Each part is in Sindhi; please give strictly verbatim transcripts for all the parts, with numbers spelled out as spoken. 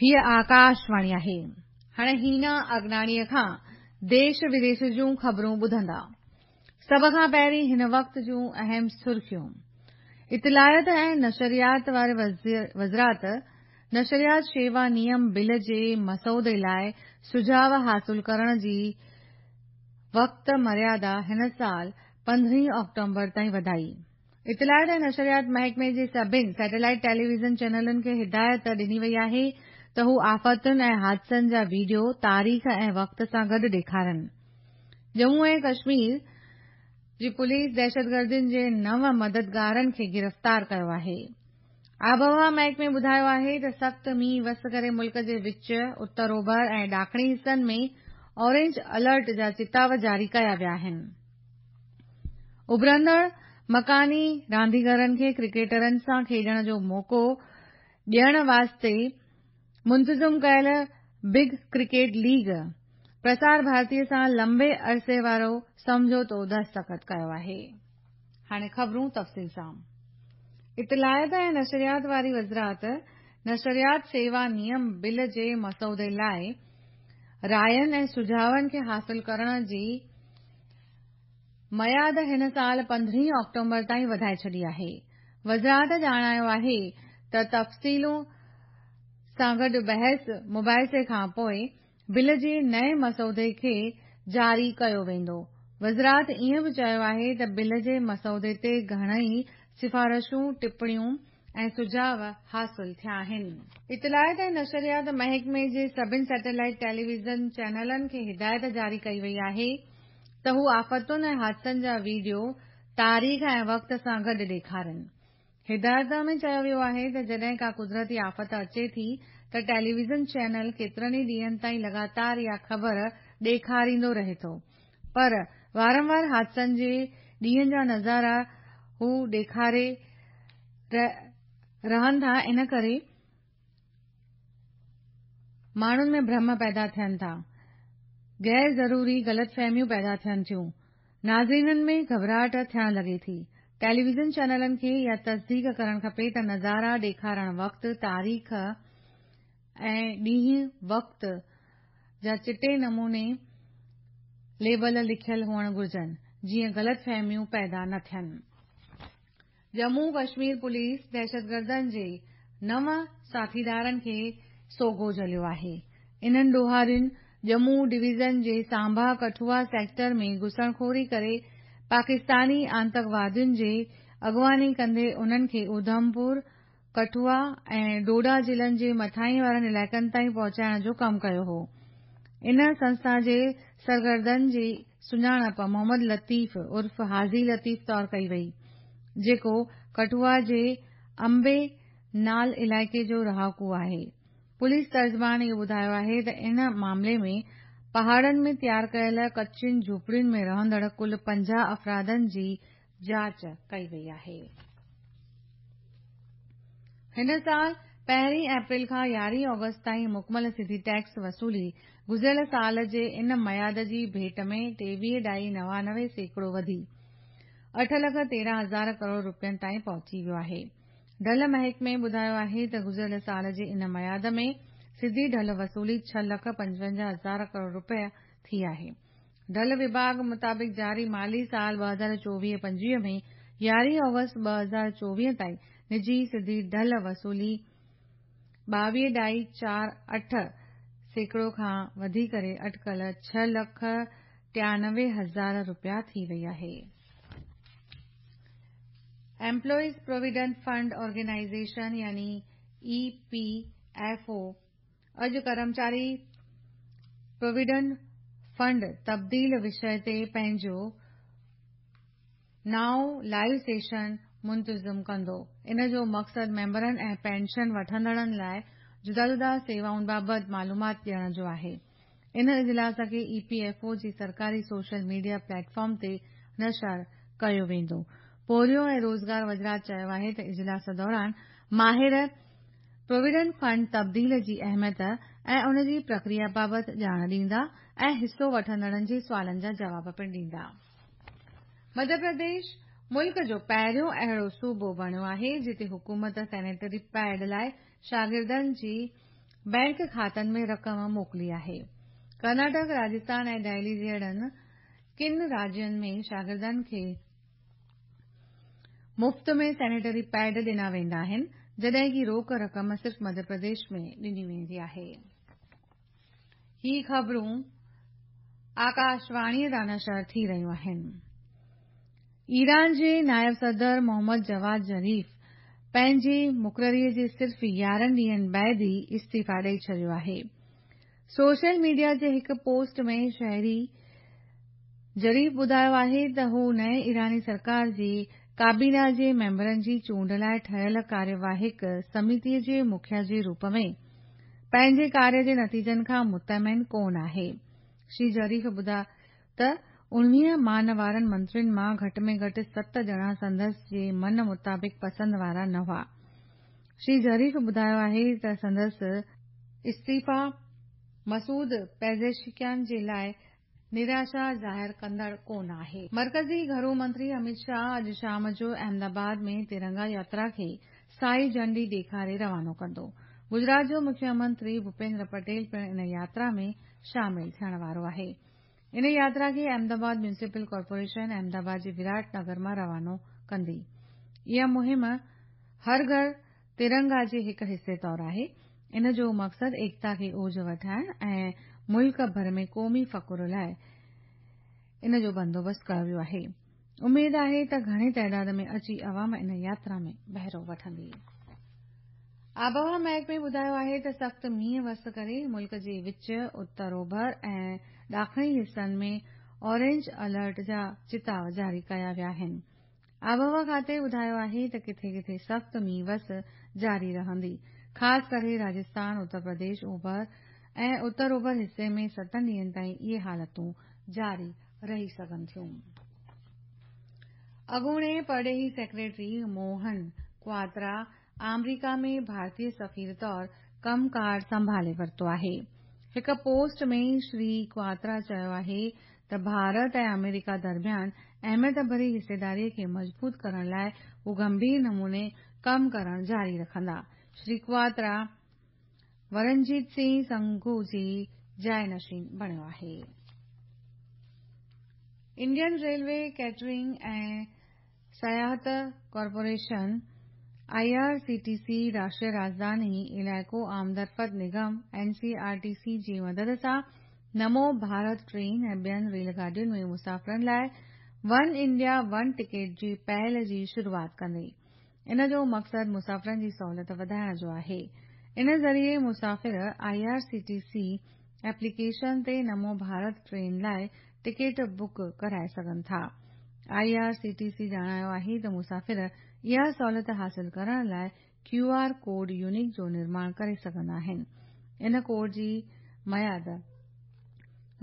هيء آڪاشواڻي آهي. هاڻي هينا اگناڻيء کان ديش وديش جون خبرون ٻڌندا. سڀ کان پهرين هن وقت جون اهم سرخيون. اطلاعات ۽ نشريات واري وزارت نشريات شيوا نيم بل جي مسودي لاءِ سجهاءُ حاصل ڪرڻ جي وقت مريادا هن سال پندرهين آڪٽوبر تائين وڌائي. اطلاعات ۽ نشريات محڪمي جي سڀني سيٽلائيٽ ٽيليويزن چينلن کي هدايت ڏني وئي آهي ته هو آفتن ۽ حادثن جا وڊيو تاريخ ۽ وقت سان گڏ ڏيکارن. ڄمون ۽ ڪشمير جي پوليس دهشتگردن جي نو مددگارن کي گرفتار ڪيو آهي. آبهوا محڪمي ٻڌايو آهي ته سخت مينهن وس ڪري ملڪ جي وچ، اتر اوڀر ۽ ڏاکڻي حصن ۾ اورينج الرٽ جا چتاءُ جاري ڪيا ويا آهن. اڀرندڙ مڪاني رانديگرن کي ڪرڪيٽرن سان کيڏڻ جو موقعو ڏيڻ واسطي منتظم ڪيل بگ ڪرڪيٽ ليگ پرسار ڀارتي سان لمبي عرصي وارو سمجهوتو دستخط ڪيو آهي. هاڻي خبرون تفصيل سان. اطلاعات ۽ نشريات واري وزارت نشريات سيوا نيم بل جي مسودي لاءِ راين ۽ سجهاون کي حاصل ڪرڻ جي ميعاد هن سال پندرهين آڪٽوبر تائين وڌائي ڇڏي آهي. وزارت ڄاڻايو آهي ته تفصيل سان گڏ بحث مباحثي کان پوءِ بل جي نئين مسودي کي جاري ڪيو ويندو. وزارت ائين به چيو آهي ته بل جي مسودي تي گهڻئي سفارشون، ٽپڻيون ۽ سجهاءُ حاصل ٿيا آهن. اطلاعات ۽ نشريات محڪمي جي سڀني سيٽلائيٽ ٽيليويزن چينلن کي هدايت جاري ڪئي وئي آهي ته هو آفتن ۽ حادثن جا وڊيو تاريخ ۽ وقت سان گڏ ڏيکارن. هدايت ۾ چيو ويو آهي ته جڏهن ڪا قدرتي آفت اچي ٿي ته ٽيليويزن چينل ڪيترن ئي ڏينهن تائين لڳاتار اها خبر ڏيکاريندو رهي ٿو، پر وارنوار حادثن جي ڏينهن جا نظارا هو ڏيکاري رهن ٿا، ان ڪري ماڻهن ۾ ڀرم پيدا ٿين ٿا، غير ضروري غلط فهميون پيدا ٿين ٿيون، ناظرينن ۾ گهٻراهٽ ٿيڻ لڳي ٿي. ٽيليويزن چينلن کي اها تصديق ڪرڻ کپي ته نظارا ڏيکارڻ وقت تاريخ ۽ ڏينهن وقت جا چٽي نموني ليبل لکيل هئڻ گهرجن، جيئن غلط فهميون پيدا نه ٿين. ڄمون ڪشمير پوليس دهشتگردن جي نو ساٿيدارن کي سوگهو جهليو آهي. انهن ڏوهارين ڄمون ڊويزن جي سانڀا ڪٺوا سيڪٽر ۾ گهسڻخوري ڪري پاڪستاني آتنڪوادين جي اڳواڻي ڪندي انهن کي اڌمپور، ڪٺوا ۽ ڊوڊا ضلعن جي مٿانهين وارن علائقن تائين پهچائڻ جو ڪم ڪيو هو. ان سنسٿا جي سرگردن جي سڃاڻپ محمد لطيف عرف حاجي لطيف طور ڪئي وئي، جيڪو ڪٺوا جي امبي نال علائقي جو رهاڪو آهي. پوليس ترجمان اهو ٻڌايو آهي ته ان معاملي ۾ پهاڙن ۾ تيار ڪيل ڪچين جهوپڙين ۾ رهندڙ ڪل پنجاهه افرادن جي جاچ ڪئي وئي آهي. هن سال پهرين اپريل کان يارهين آگسٽ تائين مڪمل سڌي ٽيڪس وصولي گذريل سال جي ان ميعاد جي ڀيٽ ۾ ٽيويهه ڏهائي نوانوي سيڪڙو وڌي اٺ لک تيرهن هزار ڪروڙ رپين تائين پهچي ويو آهي. ڍل محڪمي ٻڌايو آهي ته گذريل سال جي ان ميعاد ۾ سڌي ڍل وصولي ڇهه لک پنجونجاهه هزار ڪروڙ رپيا ٿي آهي. ڍل وڀاڳ مطابق جاري مالي سال ٻه هزار چوويهه پنجويهه ۾ يارهين آگسٽ ٻه هزار چوويهه تائين نجي سڌي ڍل وصولي ٻاويهه ڏهائي چار اٺ سيڪڙو کان وڌي ڪري اٽڪل ڇهه لک ٽيانوي هزار رپيا ٿي وئي آهي. ايمپلائيز پراويڊنٽ فنڊ آرگنائيزيشن يعني اي پي ايف او اڄ ڪرمچاري پراويڊنٽ فنڊ تبديل وشي تي پنهنجو نائون لائيو سيشن منتظم ڪندو. ان جو مقصد ميمبرن ۽ پينشن وٺندڙن لاءِ جدا جدا سيوائن بابت معلومات ڏيڻ جو آهي. ان اجلاس کي اي پي ايف او جي سرڪاري social media plate form تي نشر ڪيو ويندو. پورهيو ۽ روزگار وزارت چيو آهي ته اجلاس دوران ماهر پراويڊنٽ فنڊ تبديل جي اهميت ۽ ان جي پرڪريا بابت ڄاڻ ڏيندا ۽ حصو وٺندڙن جي سوالن جا جواب پڻ ڏيندا. مڌيه پرديش ملڪ جو پهريون اهڙو صوبو بڻيو آهي جتي حڪومت سينيٽري پيڊ لاءِ شاگردن جي بئنڪ کاتن ۾ رقم موڪلي آهي. ڪرناٽڪ، راجسٿان ۽ دهلي جهڙن ڪن راجين ۾ شاگردن کي مفت ۾ سينيٽري پيڊ ڏنا ويندا آهن، جڏهن ڪه روڪ رقم صرف مڌيه پرديش ۾ ڏني ويندي آهي. هي خبرون آڪاشواڻيء تان نشر ٿي رهيون آهن. ايران جي نائب صدر محمد جواد ظريف پنهنجي مقرريء جي صرف يارهن ڏينهن بعد ئي استعيفيٰ ڏئي ڇڏيو آهي. سوشل ميڊيا جي هڪ پوسٽ ۾ شهري ظريف ٻڌايو آهي ته هو نئين ايراني سرڪار جي ڪابينا جي ميمبرن جي چونڊ لاء ٺهيل ڪاريواهڪ سميتيء جي مکيا جي روپ ۾ پنهنجي ڪاريه جي نتيجن کان مطمئن ڪونه آهي. شري ظريف ٻڌايو ته اڻويهه مانوارن منترين مان گهٽ ۾ گهٽ ست ڄڻا سندس جي من مطابق پسند وارا نه هئا. شري ظريف ٻڌايو آهي ته سندس استعيفيٰ مسعود پيزشڪيان جي لاء نراشا ظاهر ڪندڙ ڪونه آهي. مرڪزي گهرو منتري امت شاهه اڄ شام جو احمدآباد ۾ ترنگا ياترا کي سائي جهنڊي ڏيکاري روانو ڪندو. گجرات جو مکيه منتري ڀوپيندر پٽيل پڻ ان ياترا ۾ شامل ٿيڻ وارو آهي. ان ياترا کي احمدآباد ميونسپل ڪارپوريشن احمدآباد جي وراٽ نگر مان روانو ڪندي. اها مهم هر گهر ترنگا جي هڪ حصي طور آهي. ان جو مقصد ايڪتا کي اوج وٺائڻ ۽ ملڪ ڀر ۾ قومي فخر لاء ان جو بندوبست ڪيو ويو آهي. اميد آهي ته گهڻي تعداد ۾ اچي عوام ان ياترا ۾ بهرو وٺندي. آبهوا محڪمي ٻڌايو آهي ته سخت مينهن وس ڪري ملڪ جي وچ، اتر اوڀر ۽ ڏاکڻي حصن ۾ اورينج الرٽ جا چتاء جاري ڪيا ويا آهن. آبهوا کاتي ٻڌايو آهي ته ڪٿي ڪٿي سخت مينهن وس جاري رهندي، خاص ڪري راجسٿان، اتر پرديش، اوڀر ۽ اتر اوڀر حصي ۾ ستن ڏينهن تائين اهي حالتون جاري رهي سگهن ٿيون. اڳوڻي پرڏيهي سيڪريٽري موهن ڪواترا آمريڪا ۾ ڀارتي سفير طور ڪم ڪار سنڀالي ورتو آهي. هڪ پوسٽ ۾ شري ڪواترا چيو آهي ته ڀارت ۽ آمريڪا درميان اهميت ڀري حصيداريء کي مضبوط ڪرڻ لاء هو گنڀير نموني ڪم ڪرڻ جاري رکندا. شري ڪواترا ورنجيت سنگهه سنگهو جي جاءِ نشين بڻيو آهي. انڊين ريلوي ڪيٽرنگ ۽ سياحت corporation I R C T C راشٽريه راجڌاني علائقو آمدرفت نگم N C R T C جي مدد سان نمو ڀارت ٽرين ۽ ٻين ريل گاڏين ۾ مسافرن لاءِ ون انڊيا ون ٽڪيٽ جي پهل جي شروعات ڪندي. ان جو مقصد مسافرن جي سهولت وڌائڻ جو آهي. ان ذريعي مسافر آئي آر سي ٽي سي ايپليڪيشن تي نمو ڀارت ٽرين لاءِ ٽڪيٽ بڪ ڪرائي سگهن ٿا. آئي آر سي ٽي سي ڄاڻايو آهي ته مسافر اها سهولت حاصل ڪرڻ لاءِ ڪيو آر ڪوڊ يونيڪ جو نرماڻ ڪري سگهندا آهن. ان ڪوڊ جي ميعاد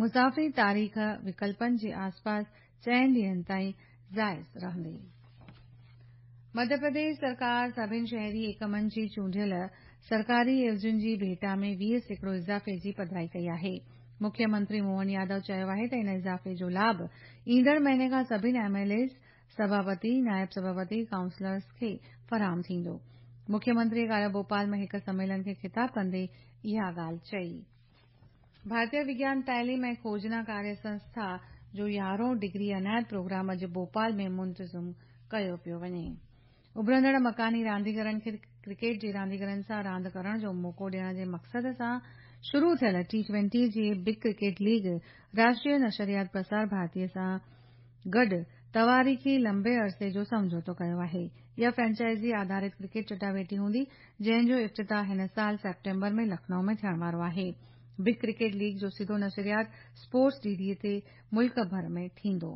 مسافري تاريخ وڪلپن جي آسپاس چئن ڏينهن تائين جائز رهندي. مڌيه پرديش سرڪار سڀني شهري ايڪمن جي چونڊيل سرڪاري عيوضين جي ڀيٽا ۾ ويهه سيڪڙو اضافي جي پڌرائي ڪئي آهي. مکيه منتري موهن يادو چيو آهي ته ان اضافي جو لاڀ ايندڙ مهيني کان سڀني ايم ايل ايز، سڀاپتي، نائب سڀاپتي، ڪائونسلرز کي فراهم ٿيندو. مکيه منتري ڪالهه ڀوپال ۾ هڪ سميلن کي خطاب ڪندي اها ڳالهه چئي. ڀارتيه وگيان تعليم ۽ کوجنا ڪاريه سنسٿا جو يارهون ڊگري عنايت پروگرام اڄ ڀوپال ۾ منتظم ڪيو پيو وڃي. اڀرندڙ مڪاني رانديگرن کي ڪرڪيٽ جي رانديگرن سان راند ڪرڻ جو موقعو ڏيڻ جي مقصد سان شروع ٿيل ٽي ٽوئنٽي جي بگ ڪرڪيٽ ليگ راشٽريه نشريات پرسار ڀارتي سان گڏ تواريخي لمبي عرصي جو سمجهوتو ڪيو آهي. اها فرينچائزي آڌارت ڪرڪيٽ چٽاڀيٽي هوندي، جنهن جو افتتاح هن سال سيپٽمبر ۾ لکنؤ ۾ ٿيڻ وارو آهي. بگ ڪرڪيٽ ليگ جو سڌو نشريات اسپورٽس ڊي ڊي تي ملڪ ڀر ۾ ٿيندو.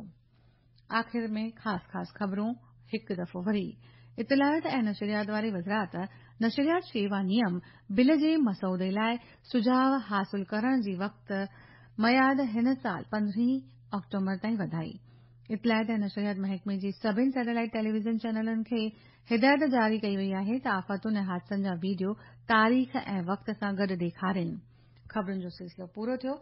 آخر ۾ خاص خاص خبرون هڪ دفعو وري. اطلاعات ۽ نشريات واري وزارت نشريات شيوا نيم بل جي مسودي لاءِ سجهاءُ حاصل ڪرڻ جي وقت ميعاد هن سال پندرهين آڪٽوبر تائين وڌائي. اطلاعات ۽ نشريات محڪمي جي سڀني سيٽلائيٽ ٽيليويزن چينلن کي هدايت جاري ڪئي وئي آهي ته آفتن ۽ حادثن جا وڊيو تاريخ ۽ وقت سان گڏ ڏيکارين. خبرن جو سلسلو پورو ٿيو.